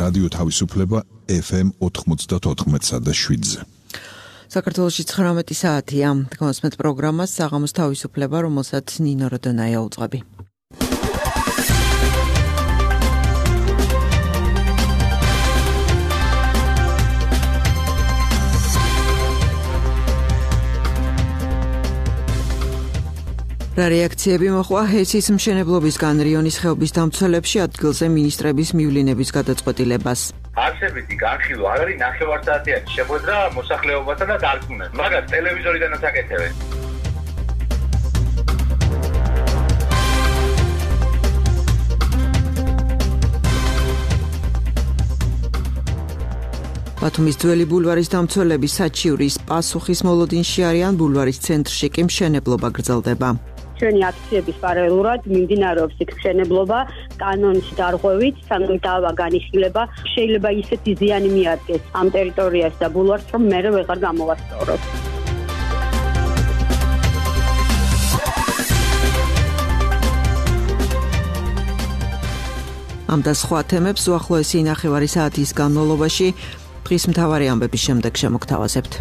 რადიო თავისუფლება FM 94.7-ზე. საქართველოში 19 საათია. გასმეთ პროგრამას საღამოს თავისუფლება, რომელსაც ნინო როდონაია უძღვები. რა რეაქციები მოხდა ჰესის მშენებლობისგან რიონის ხეობის დამცველებში ადგილზე მინისტრების მივლინების გადაწყვეტილებას. არსებითი განხილვა არ არის ნახევარსაათიანი შეხვედრა მოსახლეობასთან და დარწმუნებას. მაგას ტელევიზორიდანაც აკეთებენ. ბათუმის ძველი ბულვარის დამცველები საჩივრის პასუხის მოლოდინში არიან, ბულვარის ცენტრში კი მშენებლობა გრძელდება. ჩვენი აქციების პარალელურად მიმდინარეობს მშენებლობა კანონის დარღვევით, სანამ დავა განიხილება, შეიძლება ისეთი ზიანი მიადგეს ამ ტერიტორიას და ბულვარს, რომ მერე ვეღარ გამოვასწოროთ. ამ და სხვა თემებს უახლოესი ნახევარი საათის განმავლობაში დღის მთავარი ამბების შემდეგ შემოგთავაზებთ.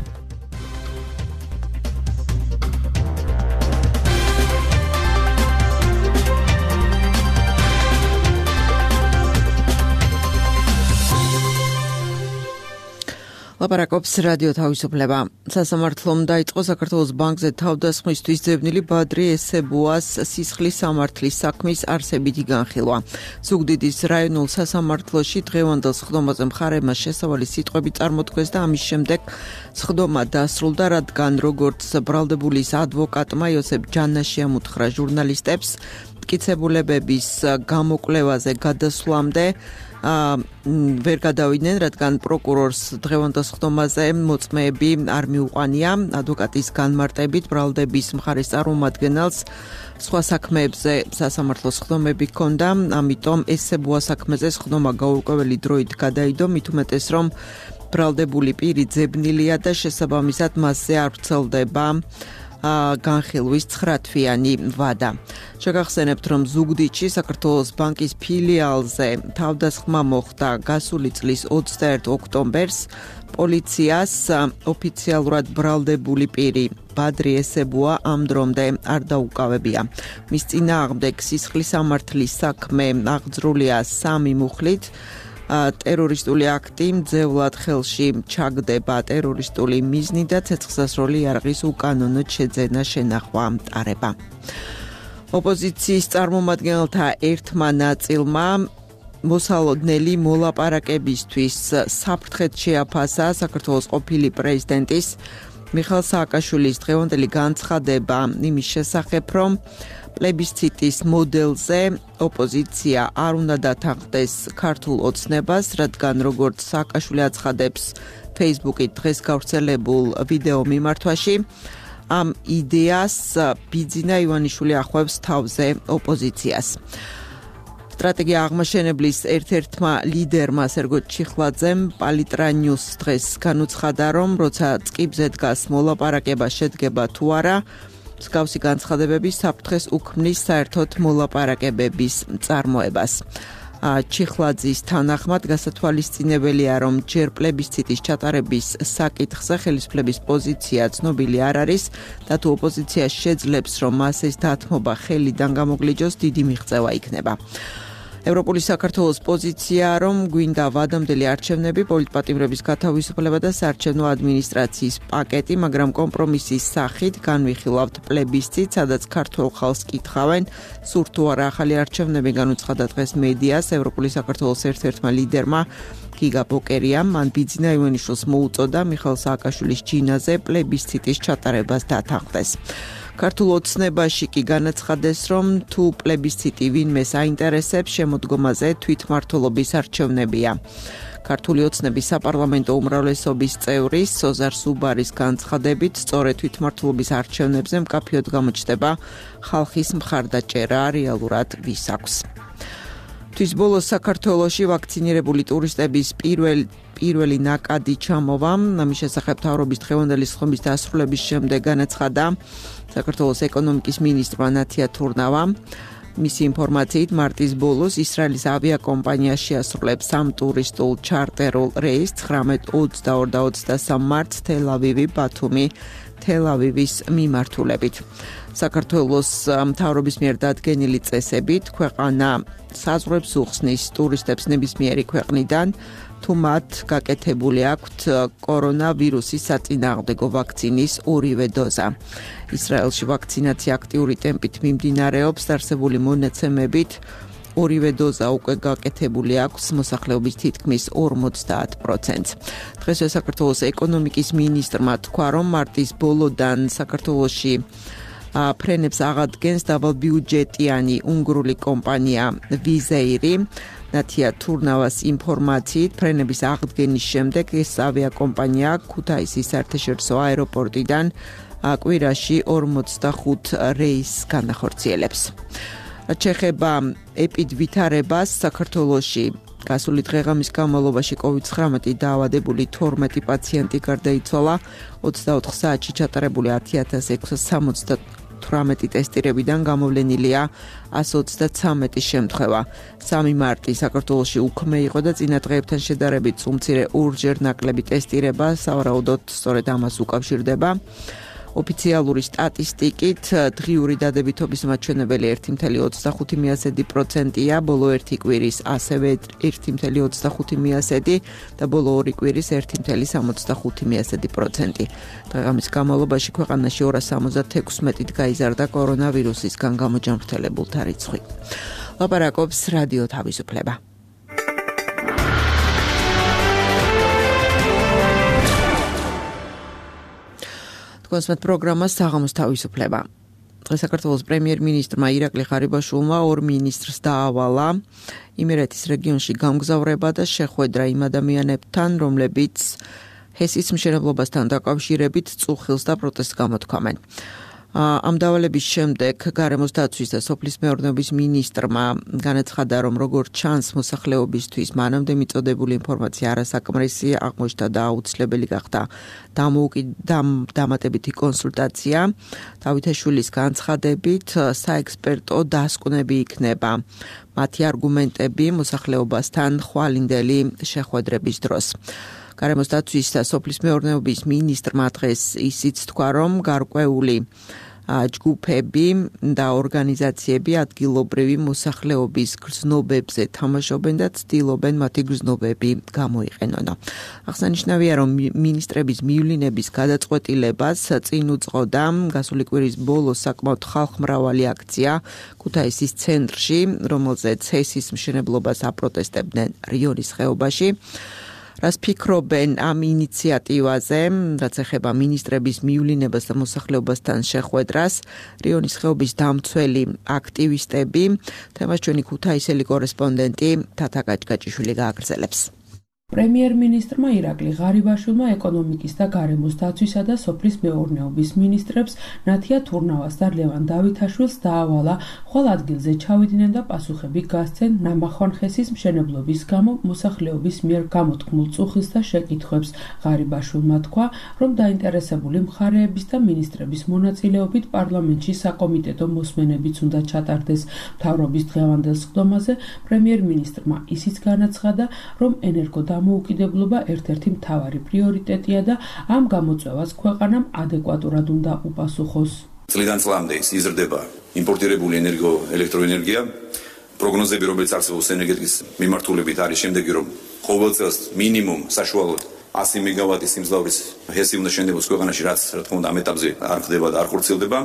ლაპარაკობს რადიო თავისუფლება. სასამართლომ დაიწყო საქართველოს ბანკზე თავდასხმისთვის ძებნილი ბადრი ესებუას სისხლის სამართლის საქმის არსებითი განხილვა. ზუგდიდის რაიონულ სასამართლოში დღევანდელ სხდომაზე მხარეებმა შესავალი სიტყვები წარმოთქვეს და ამის შემდეგ სხდომა დასრულდა, რადგან როგორც ბრალდებულის ადვოკატმა იოსებ ჯანაშიამ უთხრა ჟურნალისტებს, მტკიცებულებების გამოკვლევაზე გადასვლამდე ვერ გადავიდნენ, რადგან პროკურორს დღევანდელ სხდომაზე მოწმეები არ მიუყვანია. ადვოკატის განმარტებით ბრალდების მხარის წარმომადგენელს სხვა საქმეებზე სასამართლოს სხდომები ჰქონდა, ამიტომ ესებუა საქმეზე სხდომა გაურკვეველი დროით გადაიდო, მით უმეტეს რომ ბრალდებული პირი ძებნილია და შესაბამისად მასზე არ ვრცელდება განხილვის 9 თვიანი ვადა. შეგახსენებთ, რომ ზუგდიდში საქართველოს ბანკის ფილიალზე თავდასხმა მოხდა გასული წლის 21 ოქტომბერს. პოლიციას ოფიციალურად ბრალდებული პირი ბადრი ესებუა ამ დრომდე არ დაუკავებია. მის წინააღმდეგ სისხლის სამართლის საქმე აღძრულია 3 მუხლით. ტერორისტული აქტი მძევლად ხელში ჩაგდება ტერორისტული მიზნი და ცეცხლსასროლი იარაღის უკანონოდ შეძენა შენახვა მტარება. ოპოზიციის წარმომადგენელთა ერთმა ნაწილმა მოსალოდნელი მოლაპარაკებისთვის საფრთხედ შეაფასა საქართველოს ყოფილი პრეზიდენტის მიხეილ სააკაშვილის დღევანდელი განცხადება იმის შესახებ, რომ პლებისციტის მოდელზე ოპოზიცია არ უნდა დათანხმდეს ქართულ ოცნებას, რადგან როგორც სააკაშვილი აცხადებს Facebook-ით დღეს გავრცელებულ ვიდეო მიმართვაში, ამ იდეას ბიძინა ივანიშვილი ახლავს თავზე ოპოზიციას. სტრატეგია აღმაშენებლის ერთ-ერთმა ლიდერმა სერგო ჩიხლაძემ პალიტრა ნიუს დღეს განუცხადა, რომ როცა წკიბზე დგას მოლაპარაკება შედგება თუ არა, მსგავსი განცხადებები საფრთხეს უქმნის საერთოდ მოლაპარაკებების წარმოებას. ჩიხლაძის თანახმად გასათვალისწინებელია, რომ ჯერ პლებისციტის ჩატარების საკითხზე ხელისუფლების პოზიცია ცნობილი არ არის და თუ ოპოზიცია შეძლებს, რომ მას ეს დათმობა ხელიდან გამოგლიჯოს, დიდი მიღწევა იქნება. ევროპული საქართველოს პოზიცია, რომ გვინდა ვადამდელი არჩევნები, პოლიტპატიმრების გათავისუფლება და საარჩევნო ადმინისტრაციის პაკეტი, მაგრამ კომპრომისის სახით განვიხილავთ პლებისციტს, სადაც ქართულ ხალხს კითხავენ, სურთ თუ არა ახალი არჩევნები, განუცხადა დღეს მედიას ევროპული საქართველოს ერთ-ერთმა ლიდერმა გიგა ბოკერიამ, მან ბიძინა ივანიშვილს მოუწოდა მიხეილ სააკაშვილის ჯინაზე პლებისციტის ჩატარებას დათანხმდეს. ქართულ ოცნებაში კი განაცხადეს, რომ თუ პლებისციტი ვინმეს აინტერესებს, შემოდგომაზე თვითმმართველობის არჩევნებია. ქართული ოცნების საპარლამენტო უმრავლესობის წევრი სოზარ სუბარის განცხადებით, სწორედ თვითმმართველობის არჩევნებზე მკაფიოდ გამოჩნდება ხალხის მხარდაჭერა, რეალურად ვის აქვს. თვის ბოლოს საქართველოში ვაქცინირებული ტურისტების პირველი ნაკადი ჩამოვა. ამის შესახებ მთავრობის დღევანდელი სხდომის დასრულების შემდეგ განაცხადა საქართველოს ეკონომიკის მინისტრმა ნათია თურნავამ. მისი ინფორმაციით, მარტის ბოლოს ისრაელის ავიაკომპანია შეასრულებს 3 ტურისტულ ჩარტერულ რეისს 19:22 და 23 მარტს თელ-ავივი, ბათუმი, თელ-ავივის მიმართულებით. საქართველოს მთავრობის მიერ დადგენილი წესებით ქვეყანა საზღვრებს უხსნის ტურისტებს ნებისმიერი ქვეყნიდან, თუ მათ გაკეთებული აქვთ კორონავირუსის საწინააღმდეგო ვაქცინის ორივე დოზა. ისრაელში ვაქცინაცია აქტიური ტემპით მიმდინარეობს, არსებული მონაცემებით ორივე დოზა უკვე გაკეთებული აქვს მოსახლეობის თითქმის 50%-ს. დღესვე საქართველოს ეკონომიკის მინისტრმა თქვა, რომ მარტის ბოლოდან საქართველოში ფრენებს აღადგენს დაბალბიუჯეტიანი უნგრული კომპანია ვიზეირი. ნათია თურნავას ინფორმაციით, ფრენების აღდგენის შემდეგ ეს ავიაკომპანია ქუთაისის საერთაშორისო აეროპორტიდან კვირაში 45 რეისს განახორციელებს. ჩეხება ეპიდვითარებას საქართველოში გასული დღეღამის განმავლობაში COVID-19 დაავადებული 12 პაციენტი გარდაიცვალა, 24 საათში ჩატარებული 10,678 ტესტირებიდან გამოვლენილია 133 შემთხვევა. 3 მარტი საქართველოში უქმე იყო და წინა დღეებთან შედარებით უმცირე ორჯერ ნაკლები ტესტირება სავარაუდოდ სწორედ ამას უკავშირდება. ოფიციალური სტატისტიკით დღიური დადებითობის მაჩვენებელი 1,25%-ია, ბოლო ერთი კვირის ასევე 1,25% და ბოლო ორი კვირის 1,65%. დღეღამის განმავლობაში ქვეყანაში 276-ით გაიზარდა კორონავირუსისგან გამოჯანმრთელებულთა რიცხვი. ლაპარაკობს რადიო თავისუფლება. კონსმეთ პროგრამა საღამოს თავისუფლება. დღეს საქართველოს პრემიერ-მინისტრმა ირაკლი ღარიბაშვილმა 2 მინისტრს დაავალა იმერეთის რეგიონში გამგზავრება და შეხვედრა იმ ადამიანებთან, რომლებიც ჰესის მშენებლობასთან დაკავშირებით წუხილს და პროტესტს გამოთქვამენ. ამ დავალების შემდეგ გარემოს დაცვის და სოფლის მეურნეობის მინისტრმა განაცხადა, რომ როგორც ჩანს მოსახლეობისთვის მანამდე მიწოდებული ინფორმაცია არასაკმარისი აღმოჩნდა და აუცილებელი გახდა დამატებითი კონსულტაცია. დავითაშვილის განცხადებით საექსპერტო დასკვნები იქნება მათი არგუმენტები მოსახლეობასთან ხვალინდელი შეხვედრების დროს. გარემოს დაცვის და სოფლის მეურნეობის მინისტრმა დღეს ისიც თქვა, რომ გარკვეული ჯგუფები და ორგანიზაციები ადგილობრივი მოსახლეობის გრძნობებზე თამაშობენ და ცდილობენ მათი გრძნობები გამოიყენონ. აღსანიშნავია, რომ მინისტრების მივლინების გადაწყვეტილებას წინ უძღოდა გასული კვირის ბოლოს საკმაოდ ხალხმრავალი აქცია ქუთაისის ცენტრში, რომელზეც ჰესის მშენებლობას აპროტესტებდნენ რიონის ხეობაში. რას ფიქრობენ ამ ინიციატივაზე, რაც ეხება მინისტრების მივლინებას და მოსახლეობასთან შეხვედრას, რიონის ხეობის დამცველი აქტივისტები, თემას ჩვენი ქუთაისელი კორესპონდენტი თათა გაჭგაჭიშვილი გააგრძელებს. პრემიერ-მინისტრმა ირაკლი ღარიბაშვილმა ეკონომიკის და გარემოს დაცვისა და სოფლის მეურნეობის მინისტრებს ნათია თურნავას და ლევან დავითაშვილს დაავალა ხვალ ადგილზე ჩავიდნენ და პასუხები გასცენ ნამახვანხესის მშენებლობის გამო მოსახლეობის მიერ გამოთქმულ წუხილს და შეკითხვებს. ღარიბაშვილმა თქვა, რომ დაინტერესებული მხარეების და მინისტრების მონაწილეობით პარლამენტში საკომიტეტო მოსმენებიც უნდა ჩატარდეს. მთავრობის დღევანდელ სხდომაზე პრემიერ-მინისტრმა ისიც განაცხადა, რომ დამოუკიდებლობა ერთ-ერთი მთავარი პრიორიტეტია და ამ გამოწვევას ქვეყანამ ადეკვატურად უნდა უპასუხოს. წლიდან წლამდე იზრდება იმპორტირებული ელექტროენერგია. პროგნოზები, რომელიც არსებობს ენერგეტიკის მიმართულებით, არის შემდეგი, რომ ყოველ წელს მინიმუმ საშუალოდ 100 მეგავატის სიმძლავრის ჰესი უნდა შენდებოს ქვეყანაში, რაც რა თქმა უნდა ამ ეტაპზე არ ხდება და არ ხორციელდება.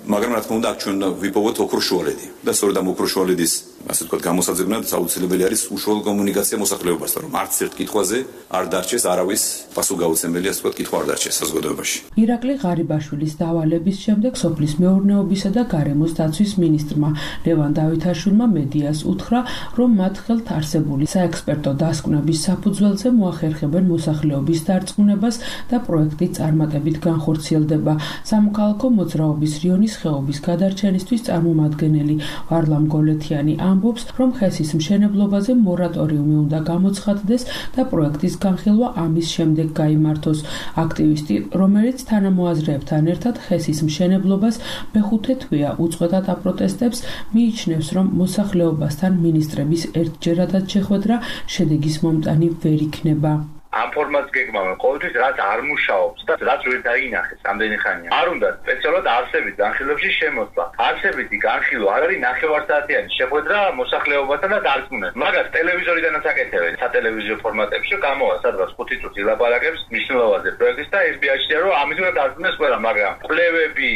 მაგრამ რა თქმა უნდა აქ ჩვენ ვიპოვოთ ოქროშუალედი და სწორედ ამ ოქროშუალედის ასე ვთქვათ გამოსაძებნად აუცილებელი არის უშუალო კომუნიკაცია მოსახლეობასთან, რომ არც ერთ კითხვაზე არ დარჩეს არავის პასუხგაუცემელი, ასე ვთქვათ, კითხვა არ დარჩეს საზოგადოებაში. ირაკლი ღარიბაშვილის დავალების შემდეგ სოფლის მეურნეობისა და გარემოს დაცვის მინისტრმა ლევან დავითაშვილმა მედიას უთხრა, რომ მათ ხელთ არსებული საექსპერტო დასკვნების საფუძველზე მოახერხებენ მოსახლეობის დარწმუნებას და პროექტი წარმატებით განხორციელდება. სამოქალაქო მოძრაობის რიონის რიონის ხეობის გადარჩენისთვის წარმომადგენელი ვარლამ გოლეთიანი ამბობს, რომ ხესის მშენებლობაზე მორატორიუმი უნდა გამოცხადდეს და პროექტის განხილვა ამის შემდეგ გაიმართოს. აქტივისტი, რომელიც თანამოაზრეებთან ერთად ხესის მშენებლობას მეხუთე თვეა უწყვეტად აპროტესტებს, მიიჩნევს, რომ მოსახლეობასთან მინისტრების ერთჯერადად შეხვედრა შედეგის მომტანი ვერ იქნება. ამ ფორმატს გეგმავენ ყოველთვის რაც არ მუშაობს და რაც ვერ დაინახეს ამდენი ხანია. არ უნდა სპეციალურად არსებით განხილვებში შემოსვლა. არსებითი განხილვა არ არის ნახევარსაათიანი შეხვედრა მოსახლეობასთან და დარწმუნებას. მაგას ტელევიზორიდანაც აკეთებენ სატელევიზიო ფორმატებში, გამოვა სადღაც 5 წუთი ლაპარაკებს მნიშვნელობაზე პროექტის და ეს ბიაშია რომ ამით უნდა დარწმუნდეს ყველა, მაგრამ კვლევები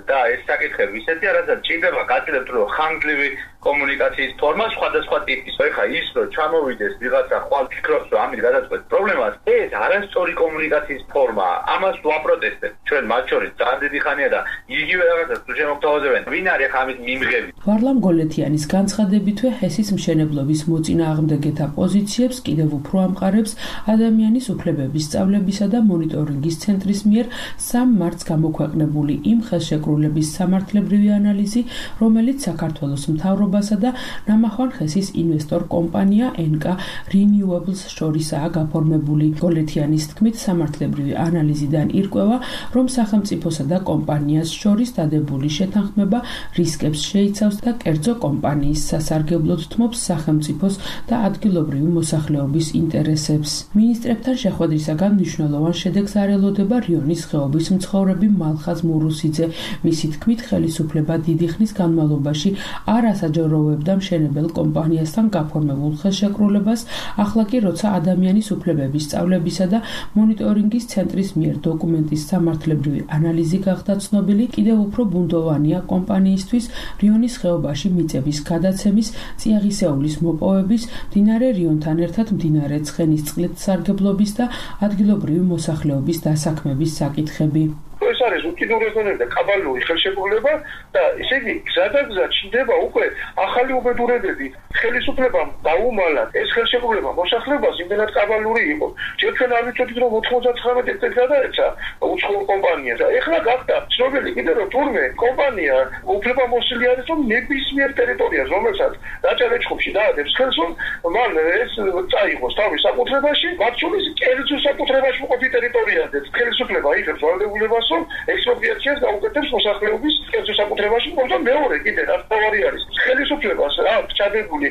და ეს საკითხები ისეთია, რასაც ჭირდება გაწილებთ რომ ხანგრძლივი კომუნიკაციის ფორმა სხვადასხვა ტიპის. ეხლა ის რომ ჩამოვიდეს ვიღაცა ხვალ ფიქრობს რომ ამით გადაწყვეტს პრობლემას, ეს არასწორი კომუნიკაციის ფორმაა. ამას ვაპროტესტებთ ჩვენ მათ შორის ძალიან დიდი ხანია და იგივე რაღაცას თუ შემოგთავაზებენ, ვინ არის ახლა ამით მიმღები. ვარლამ გოლეთიანის განცხადებითვე ჰესის მშენებლობის მოწინააღმდეგეთა პოზიციებს კიდევ უფრო ამყარებს ადამიანის უფლებების სწავლებისა და მონიტორინგის ცენტრის მიერ 3 მარტს გამოქვეყნებული იმ ხელშეკრულების სამართლებრივი ანალიზი, რომელიც საქართველოს მთავრობასა და ნამახვან ხესის ინვესტორ კომპანია NK Renewables შორისაა გაფორმებული. გოლეთიანის თქმით, სამართლებრივი ანალიზიდან ირკვევა, რომ სახელმწიფოსა და კომპანიას შორის დადებული შეთანხმება რისკებს შეიცავს და კერძო კომპანიის სასარგებლოდ თმობს სახელმწიფოს და ადგილობრივი მოსახლეობის ინტერესებს. მინისტრებთან შეხვედრისაგან მნიშვნელოვან შედეგს არ ელოდება რიონის ხეობის მცხოვრები მალხაზ მურუსიძე. მისი თქმით, ხელისუფლება დიდი ხნის განმავლობაში არ ასაჯაროვებდა მშენებელ კომპანიასთან გაფორმებულ ხელშეკრულებას, ახლა კი როცა ადამიანის უფლებების სწავლებისა და მონიტორინგის ცენტრის მიერ დოკუმენტის სამართლებრივი ანალიზი გახდა ცნობილი, კიდევ უფრო ბუნდოვანია კომპანიისთვის რიონის ხეობაში მიწების გადაცემის, წიაღისეულის მოპოვების, მდინარე რიონთან ერთად მდინარე ცხენისწყლით სარგებლობის და ადგილობრივი მოსახლეობის დასაქმების საკითხები. ეს არის უკიდურესწორი და კაბალური ხელშეკრულება და ესე იგი გზადაგზა ჩნდება უკვე ახალი უბედურებები. ხელისუფლებამ დაუმალა ეს ხელშეკრულება მოსახლეობას იმდენად კაბალური იყო. ჯერ ჩვენ არ ვიცოდით რომ 99 წელს გადაეცა უცხოურ კომპანიას და ეხლა გახდა ცნობილი კიდე რომ თურმე კომპანია უფლებამოსილი არის რომ ნებისმიერ ტერიტორიას რომელსაც დაჭერეჩხუბში დაადებს ხელს რომ მან ეს წაიღოს თავის საკუთრებაში, მათ შორის კერძო საკუთრებაში მყოფი ტერიტორიაზეც ხელისუფლება იღებს ვალდებულებას რომ ექსპროპრიაციას გაუკეთებს მოსახლეობის კერძო საკუთრებაში, მაგრამ მეორე კიდე რაც თავარი არის ხელისუფლებას აქვს ჩადებული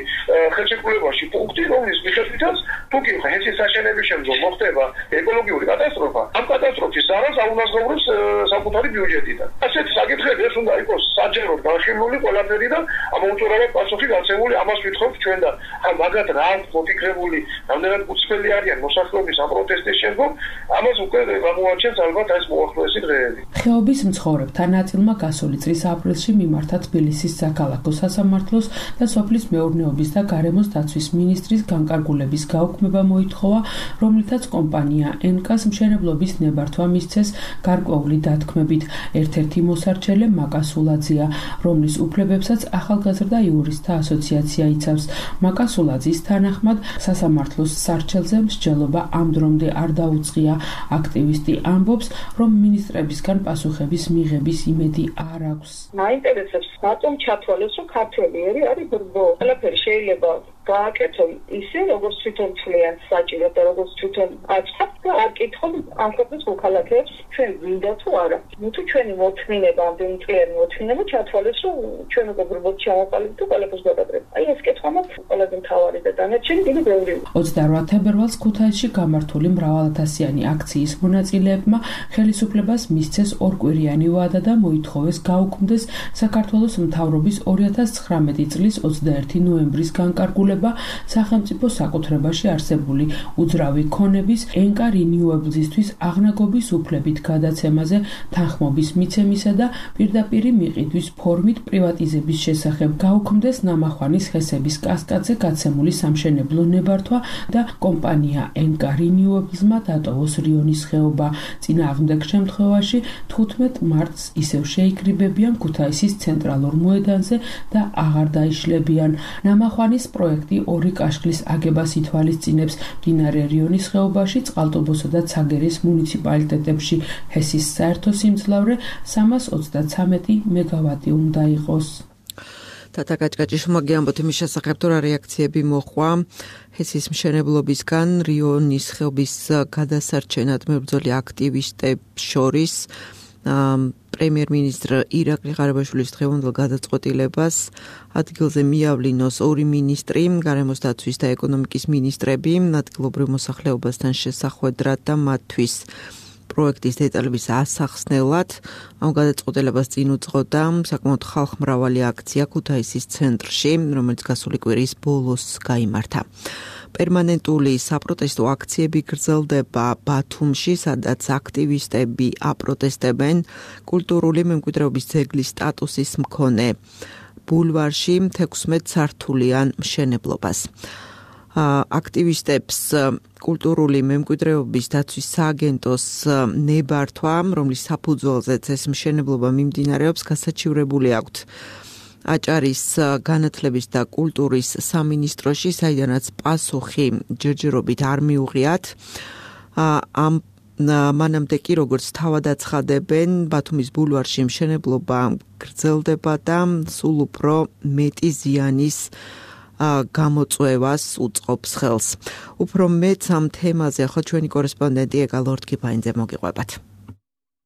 ხელშეკრულებაში პუნქტი, რომლის მიხედვითაც თუ კი ჰესის საშენების შემდგომ მოხდება ეკოლოგიური კატასტროფა, ამ კატასტროფის ზარალს აუნაზღაურებს საკუთარი ბიუჯეტიდან. ასეთი საკითხები ეს უნდა იყოს საჯაროდ განხილული ყველაფერი და ამოუწურავად პასუხი გაცემული, ამას ვითხოვთ ჩვენ და მაგათ რა აქვს მოფიქრებული, რამდენად უცხელი არიან მოსახლეობის ამ პროტესტის შემდგომ, ამას უკვე გამოაჩენს ალბათ ეს მოახლოესი დღეები. ხეობის მცხოვრებთა ნაწილმა გასული წლის აპრილში მიმართა თბილისის საქალაქო სასამართლოს და სოფლის მეურნეობის და გარემოს დაცვის მინისტრის განკარგულების გაუქმება მოითხოვა, რომლითაც კომპანია NK-ს მშენებლობის ნებართვა მისცეს გარკვეული დათქმებით. ერთ-ერთი მოსარჩელე მაკასულაძეა, რომლის უფლებებსაც ახალგაზრდა იურისტთა ასოციაცია იცავს. მაკასულაძის თანახმად, სასამართლოს სარჩელზე მსჯელობა ამ დრომდე არ დაუწყია. აქტივისტი ამბობს, რომ მინისტრებისგან პასუხების მიღების იმედი არ აქვს. მაინტერესებს რატომ ჩათვალეს, რომ ქართველი არის ბრბო. ყველაფერი შეიძლება გააკეთონ ისე, როგორც თვითონ თვლიან საჭიროდ და როგორც თვითონ აწყობთ და არ კითხონ ამ ქვეყნის მოქალაქეებს ჩვენ გვინდა თუ არა. თუ ჩვენი მოთმინება, ამდენი წლიანი მოთმინება ჩათვალეს, რომ ჩვენ უკვე ბრბოდ ჩავაყალიბდით და ყველაფერს გადაგდრებთ. აი ეს კითხვა მაქვს ყველაზე მთავარი და დანარჩენი დიდი ბევრი. 28 თებერვალს ქუთაისში გამართული მრავალათასიანი აქციის მონაწილეებმა ხელისუფლებას მისცეს ორკვირიანი ვადა და მოითხოვეს გაუქმდეს საქართველოს მთავრობის 2019 წლის 21 ნოემბრის განკარგულება სახელმწიფო საკუთრებაში არსებული უძრავი ქონების NK Renewables-ისთვის აღნაგობის უფლებით გადაცემაზე თანხმობის მიცემისა და პირდაპირი მიყიდვის ფორმით პრივატიზების შესახებ გაუქმდეს ნამახვანის ხესების კასკადზე გაცემული სამშენებლო ნებართვა და კომპანია NK Renewables-მა დატოვოს რიონის ხეობა. წინააღმდეგ შემთხვევაში 15 მარტს ისევ შეიკრიბებიან ქუთაისის ცენტრალურ მოედანზე და აღარ დაიშლებიან. ნამახვანის პროექტი პროექტი 2 კაშხლის აგებას ითვალისწინებს მდინარე რიონის ხეობაში, წყალტუბოსა და ცაგერის მუნიციპალიტეტებში. ჰესის საერთო სიმძლავრე 333 მეგავატი უნდა იყოს. თათაკაჭკაჭის მოგიამბოთ იმის შესახებ, თუ რა რეაქციები მოხვა ჰესის მშენებლობისგან რიონის ხეობის გადასარჩენად მებრძოლი აქტივისტებს შორის. პრემიერ-მინისტრ ირაკლი ღარიბაშვილის დღევანდელ გადაწყვეტილებას ადგილზე მიავლინოს 2 მინისტრი, გარემოს დაცვის და ეკონომიკის მინისტრები, ადგილობრივ მოსახლეობასთან შესახვედრად და მათთვის პროექტის დეტალების ასახსნელად. ამ გადაწყვეტილებას წინ უძღოდა საკმაოდ ხალხმრავალი აქცია ქუთაისის ცენტრში, რომელიც გასული კვირის ბოლოს გაიმართა. პერმანენტული საპროტესტო აქციები გრძელდება ბათუმში, სადაც აქტივისტები აპროტესტებენ კულტურული მემკვიდრეობის ძეგლის სტატუსის მქონე ბულვარში 16 სართულიან მშენებლობას. აქტივისტებს კულტურული მემკვიდრეობის დაცვის სააგენტოს ნებართვა, რომლის საფუძველზეც ეს მშენებლობა მიმდინარეობს, გასაჩივრებული აქვთ აჭარის განათლების და კულტურის სამინისტროში, საიდანაც პასუხი ჯერჯერობით არ მიუღიათ. მანამდე კი, როგორც თავად აცხადებენ, ბათუმის ბულვარში მშენებლობა გრძელდება და სულ უფრო მეტი ზიანის გამოწვევას უწყობს ხელს. უფრო მეც ამ თემაზე ახლა ჩვენი კორესპონდენტი ეკა ლორდ-კიფაინძე მოგიყვებათ.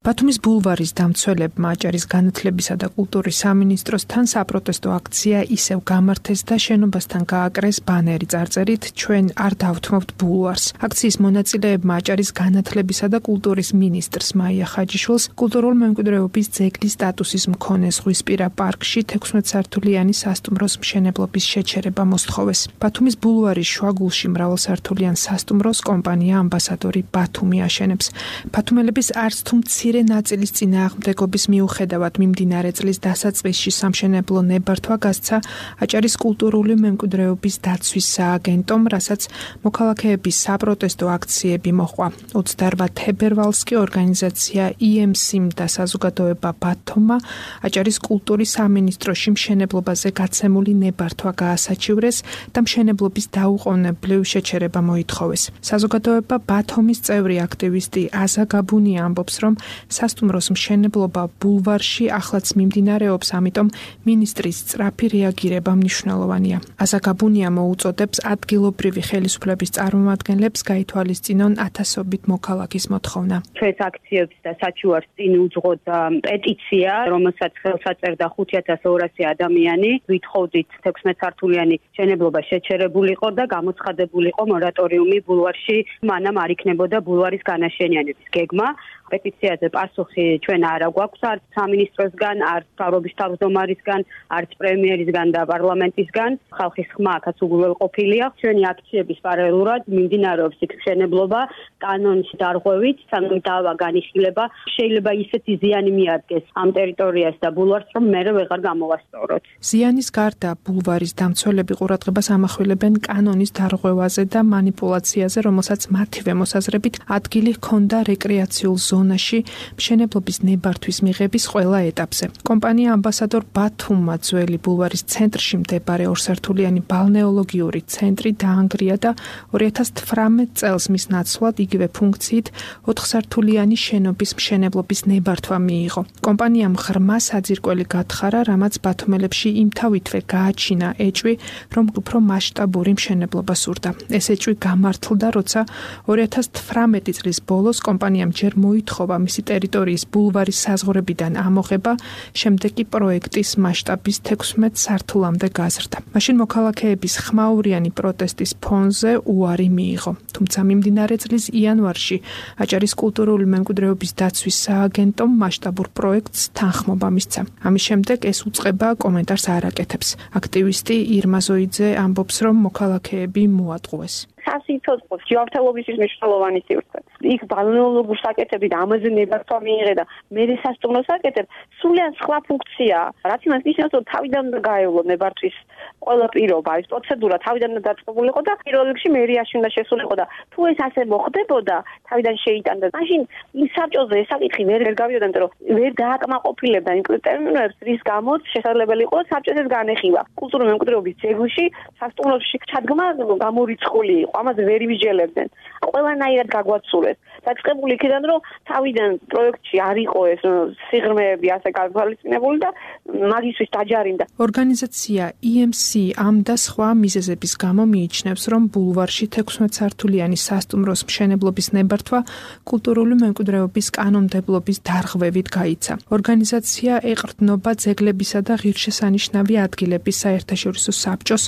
ბათუმის ბულვარის დამცველებმა აჭარის განათლებისა და კულტურის სამინისტროსთან საპროტესტო აქცია ისევ გამართეს და შენობასთან გააკრეს ბანერი წარწერით ჩვენ არ დავთმობთ ბულვარს. აქციის მონაწილეებმა აჭარის განათლებისა და კულტურის მინისტრს მაია ხაჯიშვილს კულტურულ მემკვიდრეობის ძეგლის სტატუსის მქონე ზღვისპირა პარკში 16 სართულიანი სასტუმროს მშენებლობის შეჩერება მოსთხოვეს. ბათუმის ბულვარის შუაგულში მრავალსართულიან სასტუმროს კომპანია ამბასადორი ბათუმი აშენებს. ბათუმელების არც თუ ნაწილის წინააღმდეგობის მიუხედავად მიმდინარე წლის დასაწყისში სამშენებლო ნებართვა გასცა აჭარის კულტურული მემკვიდრეობის დაცვის სააგენტომ, რასაც მოქალაქეების საპროტესტო აქციები მოჰყვა. 28 თებერვალს კი ორგანიზაცია EMC და საზოგადოება ბათუმმა აჭარის კულტურის სამინისტროში მშენებლობაზე გაცემული ნებართვა გაასაჩივრეს და მშენებლობის დაუყოვნებლივ შეჩერება მოითხოვეს. საზოგადოება ბათუმის წევრი აქტივისტი აზა გაბუნია ამბობს, რომ სასტუმროს მშენებლობა ბულვარში ახლაც მიმდინარეობს, ამიტომ მინისტრის სწრაფი რეაგირება მნიშვნელოვანია. აზა გაბუნია მოუწოდებს ადგილობრივი ხელისუფლების წარმომადგენლებს გაითვალისწინონ ათასობით მოქალაქის მოთხოვნა. ჩვენს აქციებს და საჩუარს წინ უძღოთ პეტიცია, რომელსაც ხელს აწერდა 5200 ადამიანი. ვითხოვდით 16 სართულიანი მშენებლობა შეჩერებულიყო და გამოცხადებულიყო მორატორიუმი ბულვარში, მანამ არ იქნებოდა ბულვარის განაშენიანების გეგმა. პეტიციაზე პასუხი ჩვენ არ გვაქვს არც სამინისტროსგან, არც მთავრობის თავმჯდომარისგან, არც პრემიერისგან და პარლამენტისგან. ხალხის ხმა აქაც უგულველყოფილია. ჩვენი აქციების პარალელურად მიმდინარეობს იქ მშენებლობა კანონის დარღვევით, სანამ დავა განიხილება. შეიძლება ისეთი ზიანი მიადგეს ამ ტერიტორიას და ბულვარს, რომ მერე ვეღარ გამოვასწოროთ. ზიანის გარდა ბულვარის დამცველები ყურადღებას ამახვილებენ კანონის დარღვევაზე და მანიპულაციაზე, რომელსაც მათივე მოსაზრებით ადგილი ჰქონდა რეკრეაციულ ზონაში მშენებლობის ნებართვის მიღების ყველა ეტაპზე. კომპანია ამბასადორ ბათუმმა ძველი ბულვარის ცენტრში მდებარე ორსართულიანი ბალნეოლოგიური ცენტრი დაანგრია და 2018 წელს მის ნაცვლად იგივე ფუნქციით 4 სართულიანი შენობის მშენებლობის ნებართვა მიიღო. კომპანიამ ღრმა საძირკველი გათხარა, რამაც ბათუმელებში იმთავითვე გააჩინა ეჭვი, რომ უფრო მასშტაბური მშენებლობა სურდა. ეს ეჭვი გამართლდა, როცა 2018 წლის ბოლოს კომპანიამ ჯერ მოითხოვა მისი ტერიტორიის ბულვარის საზღვრებიდან ამოღება, შემდეგ კი პროექტის მასშტაბის 16 სართულამდე გაზრდა. მაშინ მოქალაქეების ხმაურიანი პროტესტის ფონზე უარი მიიღო. თუმცა მიმდინარე წლის იანვარში აჭარის კულტურული მემკვიდრეობის დაცვის სააგენტომ მასშტაბურ პროექტს თანხმობა მისცა. ამის შემდეგ ეს უწყება კომენტარს არ აკეთებს. აქტივისტი ირმა ზოიძე ამბობს, რომ მოქალაქეები მოატყუეს. სასიცოცხლოს ჯანმრთელობის მნიშვნელოვანი სივრცე. იქ ბალნეოლოგურ საკეთები და ამაზე ნებართვა მიიღე და მე სასტუმროს საკეთებ, სრულიად სხვა ფუნქციაა. რაც იმას ნიშნავს, რომ თავიდან უნდა გაევლო ნებართვის ყველა პირობა, ეს პროცედურა თავიდან უნდა დაწყებულიყო და პირველ რიგში მერიაში უნდა შესულიყო და თუ ეს ასე მოხდებოდა, თავიდან შეიტანდა. მაშინ იმ საბჭოზე ეს საკითხი ვერ გავიოდა, იმიტომ რომ ვერ დააკმაყოფილებდა იმ ტერმინებს, რის გამოც შესაძლებელი იყო საბჭოს ეს განეხილა. კულტურული მემკვიდრეობის ძეგლში, სასტუმროში ჩადგმა გამორიცხული იყო, ამაზე ვერ იმიჯელებდნენ. ყველანაირად გაგვაცურეს. დაწყებული იქიდან, რომ თავიდან პროექტში არ იყო ეს სიღრმეები ასე გათვალისწინებული და მაგისთვის დაჯარიმდა. ორგანიზაცია EMC ამ და სხვა მიზეზების გამო მიიჩნევს, რომ ბულვარში 16 სართულიანი სასტუმროს მშენებლობის ნებართვა კულტურული მემკვიდრეობის კანონმდებლობის დარღვევით გაიცა. ორგანიზაცია ეყრდნობა ძეგლებისა და ღირსშესანიშნავი ადგილების საერთაშორისო საბჭოს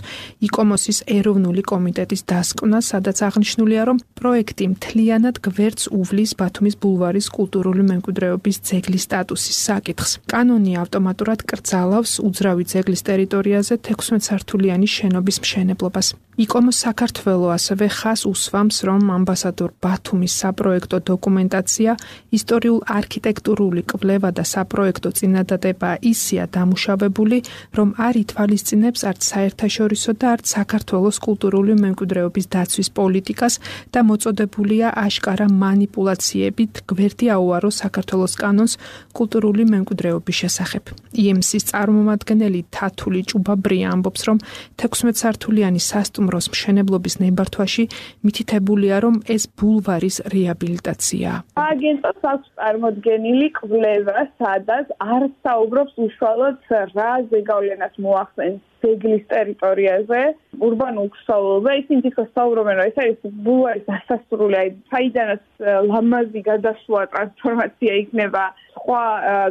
იკომოსის ეროვნული კომიტეტის დასკვნას, სადაც აღნიშნულია, რომ პროექტი მთლიანად გვერდს უვლის ბათუმის ბულვარის კულტურული მემკვიდრეობის ძეგლის სტატუსის საკითხს. კანონი ავტომატურად კრძალავს უძრავი ძეგლის ტერიტორიაზე 16 სართულიანი შენობის მშენებლობას. იკომოს საქართველო ასევე ხას უსვამს, რომ ამბასადორ ბათუმის საპროექტო დოკუმენტაცია, ისტორიულ-არქიტექტურული კვლევა და საპროექტო წინადადება ისეა დამუშავებული, რომ არ ითვალისწინებს არც საერთაშორისო და არც საქართველოს კულტურული მემკვიდრეობის დაცვის პოლიტიკას და მოწოდებულია აშკარა მანიპულაციებით გვერდი აუარო საქართველოს კანონს კულტურული მემკვიდრეობის შესახებ. EMC-ის წარმომადგენელი თათული ჭუბაბრია ამბობს, რომ 16 სართულიანი სასტუმროს მშენებლობის ნებართვაში მითითებულია, რომ ეს ბულვარის რეაბილიტაციაა. აგენტოს აქვს წარმოდგენილი კვლევა, სადაც არ საუბრობს უშუალოდ რა ზეგავლენას მოახსენს ძეგლის ტერიტორიაზე, ურბანულ ქსოვილზე, ისინი თვითონ საუბრობენ, რომ ეს არის ბულვარის დასასრული, აი საიდანაც ლამაზი გადასვლა ტრანსფორმაცია იქნება სხვა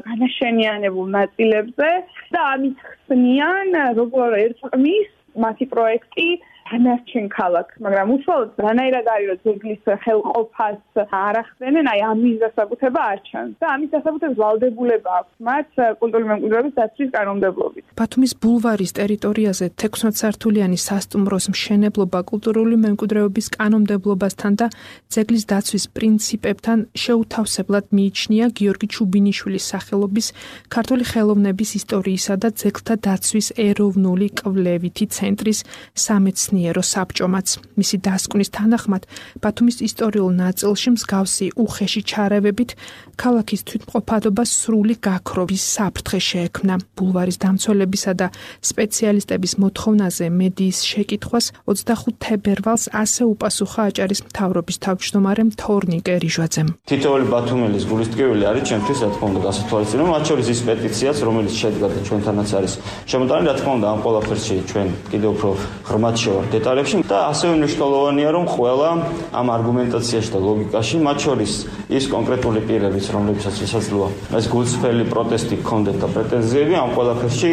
განაშენიანებულ ნაწილებზე და ამით ხსნიან, როგორ ერწყმის მათი პროექტი დანარჩენ ქალაქს, მაგრამ უშუალოდ რანაირად არის, რომ ძეგლის ხელყოფას არ ახსენენ, აი ამის დასაკუთრება არ ჩანს და ამის დასაკუთრების ვალდებულება აქვს მათ კულტურული მემკვიდრეობის დაცვის კანონმდებლობით. ბათუმის ბულვარის ტერიტორიაზე 16 სართულიანი სასტუმროს მშენებლობა კულტურული მემკვიდრეობის კანონმდებლობასთან და ძეგლის დაცვის პრინციპებთან შეუთავსებლად მიიჩნია გიორგი ჩუბინიშვილის სახელობის ქართული ხელოვნების ისტორიისა და ძეგლთა დაცვის ეროვნული კვლევითი ცენტრის სამეცნიერო საბჭომაც. მისი დასკვნის თანახმად, ბათუმის ისტორიულ ნაწილში მსგავსი უხეში ჩარევებით ქალაქის თვითმყოფადობას სრული გაქრობის საფრთხე შეექმნა. ბულვარის დამცველებისა და სპეციალისტების მოთხოვნაზე მედიის შეკითხვას 25 თებერვალს ასე უპასუხა აჭარის მთავრობის თავმჯდომარემ თორნიკე რიჟვაძემ. თითოეული ბათუმელის გულისტკივილი არის ჩემთვის, რა თქმა უნდა, გასათვალისწინო, მათ შორის ის პეტიციაც, რომელიც შედგა და ჩვენთანაც არის შემოტანილი, რა თქმა უნდა, ამ ყველაფერში ჩვენ კიდევ უფრო ღრმად შევართ დეტალებში და ასევე მნიშვნელოვანია, რომ ყველა ამ არგუმენტაციაში და ლოგიკაში, მათ შორის ის კონკრეტული პირებიც, რომლებსაც შესაძლოა ეს გულწრფელი პროტესტი ჰქონდეთ და პრეტენზიები, ამ ყველაფერში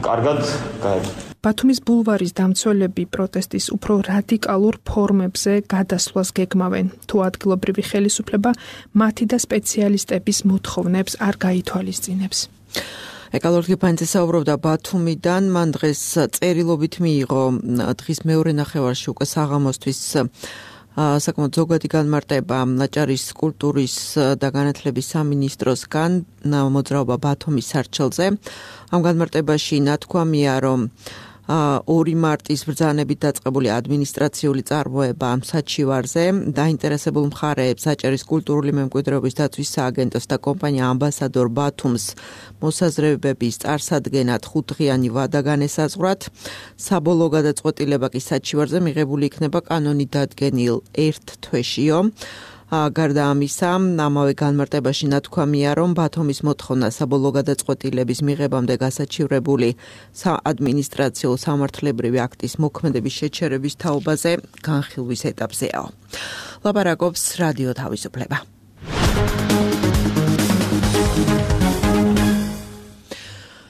კარგად გაერთიანდნენ. ბათუმის ბულვარის დამცველები პროტესტის უფრო რადიკალურ ფორმებზე გადასვლას გეგმავენ, თუ ადგილობრივი ხელისუფლება მათი და სპეციალისტების მოთხოვნებს არ გაითვალისწინებს. ეკალორ გიფანძე საუბრობდა ბათუმიდან, მან დღეს წერილობით მიიღო დღის მეორე ნახევარში უკვე საღამოსთვის საკმაოდ ზოგადი განმარტება აჭარის კულტურის და განათლების სამინისტროსგან მოძრაობა ბათუმის სარჩელზე. ამ განმარტებაში ნათქვამია, რომ 2 მარტის ბრძანებით დაწყებული ადმინისტრაციული წარმოება ამ საჩივარზე დაინტერესებულ მხარეებს აჭარის კულტურული მემკვიდრეობის დაცვის სააგენტოს და კომპანია ამბასადორ ბათუმს მოსაზრებების წარსადგენად 5 დღიანი ვადა განესაზღვრათ. საბოლოო გადაწყვეტილება კი საჩივარზე მიღებული იქნება კანონი დადგენილ 1 თვეშიო. გარდა ამისა, ამავე განმარტებაში ნათქვამია, რომ ბათუმის მოთხოვნა საბოლოო გადაწყვეტილების მიღებამდე გასაჩივრებული საადმინისტრაციო სამართლებრივი აქტის მოქმედების შეჩერების თაობაზე განხილვის ეტაპზეა. ლაპარაკობს რადიო თავისუფლება.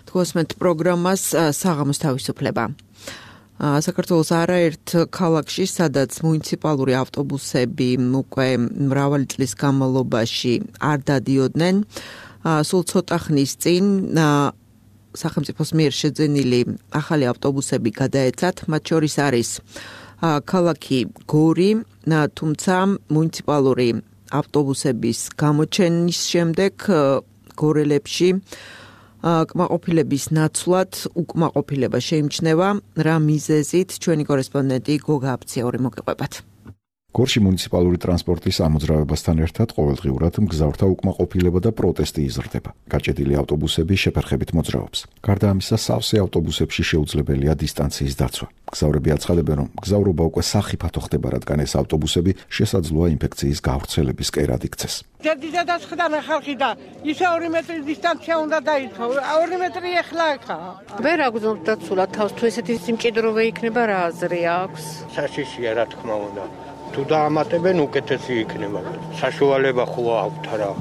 თქვენს პროგრამას საღამოს თავისუფლება. საქართველოს არაერთ ქალაქში, სადაც მუნიციპალური ავტობუსები უკვე მრავალი წლის განმავლობაში არ დადიოდნენ, სულ ცოტა ხნის წინ სახელმწიფოს მიერ შეძენილი ახალი ავტობუსები გადაეცათ, მათ შორის არის ქალაქი გორი, თუმცა მუნიციპალური ავტობუსების გამოჩენის შემდეგ გორელებში კმაყოფილების ნაცვლად უკმაყოფილება შეიმჩნევა, რა მიზეზით ჩვენი კორესპონდენტი გოგა აფციური მოგიყვებათ. გორში მუნიციპალური ტრანსპორტის ამოძრავებასთან ერთად ყოველდღიურად მგზავრთა უკმაყოფილება და პროტესტი იზრდება. გაჭედილი ავტობუსები შეფერხებით მოძრაობს. გარდა ამისა, სავსე ავტობუსებში შეუძლებელია დისტანციის დაცვა. მგზავრები აცხადებენ, რომ მგზავრობა უკვე სახიფათო ხდება, რადგან ეს ავტობუსები შესაძლოა ინფექციის გავრცელების კერად იქცეს. ჯერჯერობით დაწყდა ხალხი და ისე 2 მეტრის დისტანცია უნდა დაიცვა. 2 მეტრი ეხლა აქაა. ვერ აგზნობ დაცულად თავს, თუ ესეთი სიმჭიდროვე იქნება, რა აზრი აქვს? საშიშია, რა თქმა უნდა. თუ დაამატებენ უკეთესი იქნება. საშუალება ხო აქვთ რა.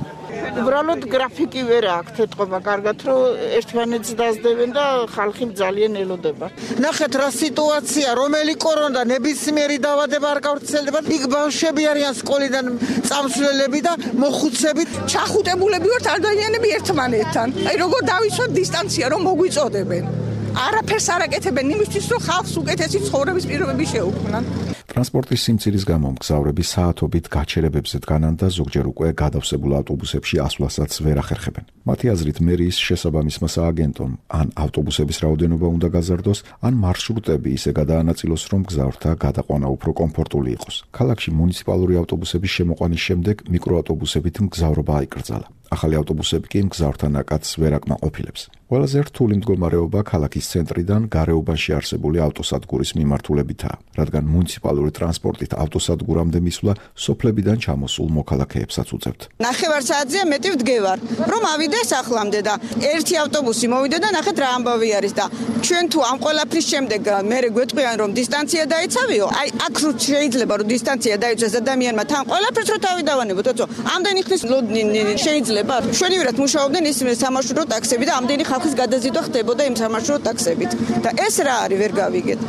უბრალოდ გრაფიკი ვერ აქვს ეთყობა კარგად, რომ ერთმანეთს დაძდებენ და ხალხი ძალიან ელოდება. ნახეთ რა სიტუაცია, რომელი კორონა ნებისმიერი დაავადება არ გავრცელდება. იქ ბავშვები არიან სკოლიდან წამსვლელები და მოხუცები, ჩახუტებულები ვართ ადამიანები ერთმანეთთან. აი როგორ დავიცვათ დისტანცია რომ მოგვიწოდებენ. არაფერს არ აკეთებენ იმისთვის, რომ ხალხს უკეთესი ცხოვრების პირობები შეუქმნან. ტრანსპორტის სიმცირის გამო მგზავრები საათობით გაჩერებებზე დგანან და ზოგჯერ უკვე გადავსებულ ავტობუსებში ასვლასაც ვერ ახერხებენ. მათი აზრით, მერიის შესაბამისმა სააგენტომ ან ავტობუსების რაოდენობა უნდა გაზარდოს, ან მარშრუტები ისე გადაანაწილოს, რომ მგზავრთა გადაყვანა უფრო კომფორტული იყოს. ქალაქში მუნიციპალური ავტობუსების შემოყვანის შემდეგ მიკროავტობუსებით მგზავრობა აიკრძალა. ახალი ავტობუსები კი მგზავრთა ნაკადს ვერ აკმაყოფილებს. ყველაზე რთული მდგომარეობა ქალაქის ცენტრიდან გარეუბანში არსებული ავტოსადგურის მიმართულებითაა, რადგან მუნიციპალური ტრანსპორტით ავტოსადგურამდე მისვლა სოფლებიდან ჩამოსულ მოქალაქეებსაც უწევთ. ნახევარ საათზეა მეტი ვდგევარ, რომ ავიდეს ახლამდე და ერთი ავტობუსი მოვიდა და ნახეთ რა ამბავი არის და ჩვენ თუ ამ ყველაფრის შემდეგ მე გვეტყვიან რომ დისტანცია დაიცავიო, აი აქ რო შეიძლება რომ დისტანცია დაიცვას ადამიანმა თან ყველაფერს რო თავი დავანებოთ, თორემ ამდენი ხნის შეიძლება შვენივერად მუშაობდნენ ის სამარშრუტო ტაქსები და ამდენი ხალხის გადაზიდვა ხდებოდა იმ სამარშრუტო ტაქსებით და ეს რა არის ვერ გავიგეთ.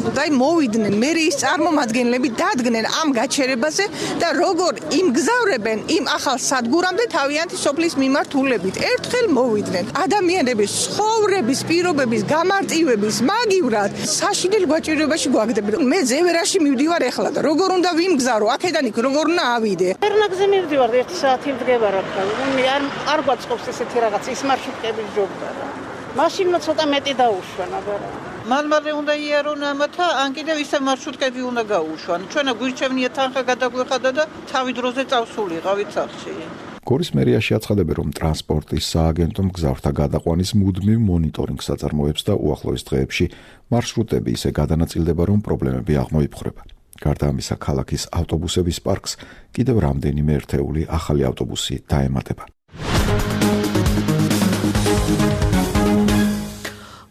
დაი მოვიდნენ მერიის წარმომადგენლები დადგნენ ამ გაჩერებაზე და როგორ იმგზავრებენ იმ ახალ სადგურამდე თავიანთი სოფლის მიმართულებით. ერთხელ მოვიდნენ ადამიანების ცხოვრების პირობების გამარტივების მაგივრად საშინელ გვაჭირებაში გვაგდებენ. მე ზევერაში მივდივარ ეხლა და როგორ უნდა ვიმგზავრო აქედან იქ როგორ უნდა ავიდე. ერნაგზე მივდივარ 1 საათი ვდგება რა თქმა უნდა. არ გვაწყობს ესეთი რაღაც ის მარშრუტების ჯობდა რა. მაშინმა ცოტა მეტი დაუშვან აბარა. მალმალე უნდა იარონ ამათა ან კიდევ ისე მარშრუტკები უნდა გაუშვან. ჩვენა გვირჩევნია თანხა გადაგვეხადა და თავი დროზე წავსულიყავით სახში. გორის მერიაში აცხადებენ, რომ ტრანსპორტის სააგენტომ მგზავრთა გადაყვანის მუდმივ მონიტორინგს აწარმოებს და უახლოეს დღეებში მარშრუტები ისე გადანაწილდება, რომ პრობლემები აღმოიფხვრება. გარდა ამისა, ქალაქის ავტობუსების პარკს კიდევ რამდენიმე ერთეული ახალი ავტობუსი დაემატება.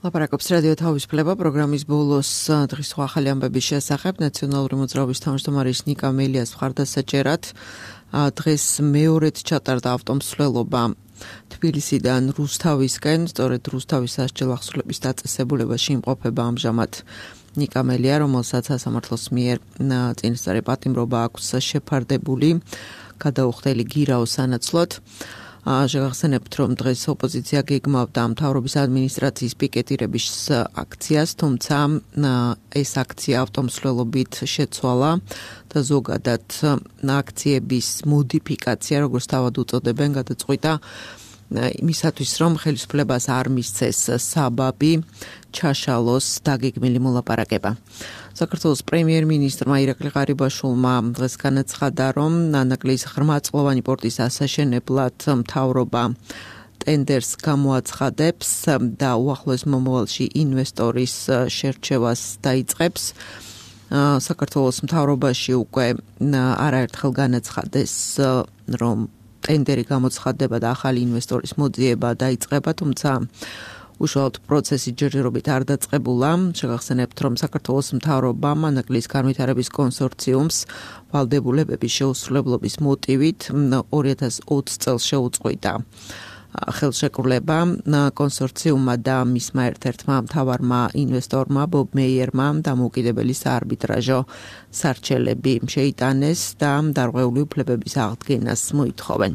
ლაპარაკობს რადიო თავისუფლება პროგრამის ბოლოს დღის ახალი ამბების შესახებ ნაციონალური მოძრაობის თავმჯდომარის ნიკა მელიას მხარდასაჭერად დღეს მეორედ ჩატარდა ავტომსვლელობა თბილისიდან რუსთავისკენ, სწორედ რუსთავის სასჯელ ახსნილების დაწესებულებაში იმყოფება ამჟამად ნიკა მელია, რომელსაც სასამართლოს მიერ წინასწარი პატიმრობა აქვს შეფარდებული გადაუხდელი გირაოს სანაცვლოდ. შეგახსენებთ, რომ დღეს ოპოზიცია გეგმავდა მთავრობის ადმინისტრაციის პიკეტირების აქციას, თუმცა ეს აქცია ავტომსვლელობით შეცვალა და ზოგადად აქციების მოდიფიკაცია, როგორც თავად უწოდებენ, გადაწყვიტა იმისათვის, რომ ხელისუფლებას არ მისცეს საბაბი ჩაშალოს დაგეგმილი მოლაპარაკება. საქართველოს პრემიერ-მინისტრმა ირაკლი ღარიბაშვილმა დღეს განაცხადა, რომ ნანაკლის ღრმაწყლოვანი პორტის ასაშენებლად მთავრობა ტენდერს გამოაცხადებს და უახლოეს მომავალში ინვესტორის შერჩევას დაიწყებს. საქართველოს მთავრობაში უკვე არაერთხელ განაცხადეს, რომ ტენდერი გამოცხადდება და ახალი ინვესტორის მოძიება დაიწყება, თუმცა უშუალოდ პროცესი ჯერჯერობით არ დაწყებულა. შეგახსენებთ, რომ საქართველოს მთავრობამ ნანაკლის განვითარების კონსორციუმს ვალდებულებების შეუსრულებლობის მოტივით 2020 წელს შეუწყვიტა ხელშეკრულება კონსორციუმმა და მისმა ერთ-ერთმა მთავარმა ინვესტორმა ბობ მეიერმა დამოუკიდებელი საარბიტრაჟო სარჩელები შეიტანეს და დარღვეული უფლებების აღდგენას მოითხოვენ.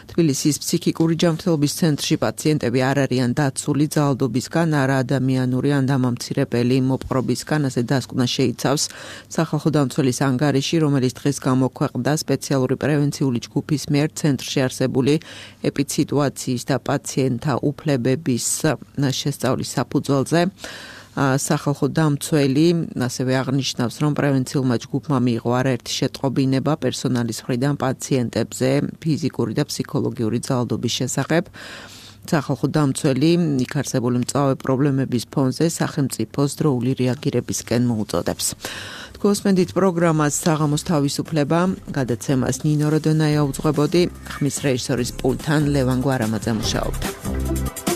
თბილისის ფსიქიკური ჯანმრთელობის ცენტრში პაციენტები არ არიან დაცული ძალადობისგან, არა ადამიანური ან დამამცირებელი მოპყრობისგან, ასე დასკვნა შეიცავს სახალხო დამცველის ანგარიში, რომელიც დღეს გამოქვეყნდა სპეციალური პრევენციული ჯგუფის მიერ ცენტრში არსებული ეპიდსიტუაციის და პაციენტთა უფლებების შესწავლის საფუძველზე. სახალხო დამცველი ასევე აღნიშნავს, რომ პრევენციულმა ჯგუფმა მიიღო არაერთი შეტყობინება პერსონალის მხრიდან პაციენტებზე ფიზიკური და ფსიქოლოგიური ძალადობის შესახებ. სახალხო დამცველი იქ არსებული მწვავე პრობლემების ფონზე სახელმწიფოს დროული რეაგირებისკენ მოუწოდებს. გოსმენდით პროგრამას საღამოს თავისუფლება, გადაცემას ნინო როდონაია უძღვებოდი, ხმის რეჟისორის პულტთან ლევან გვარამაძე მუშაობდა.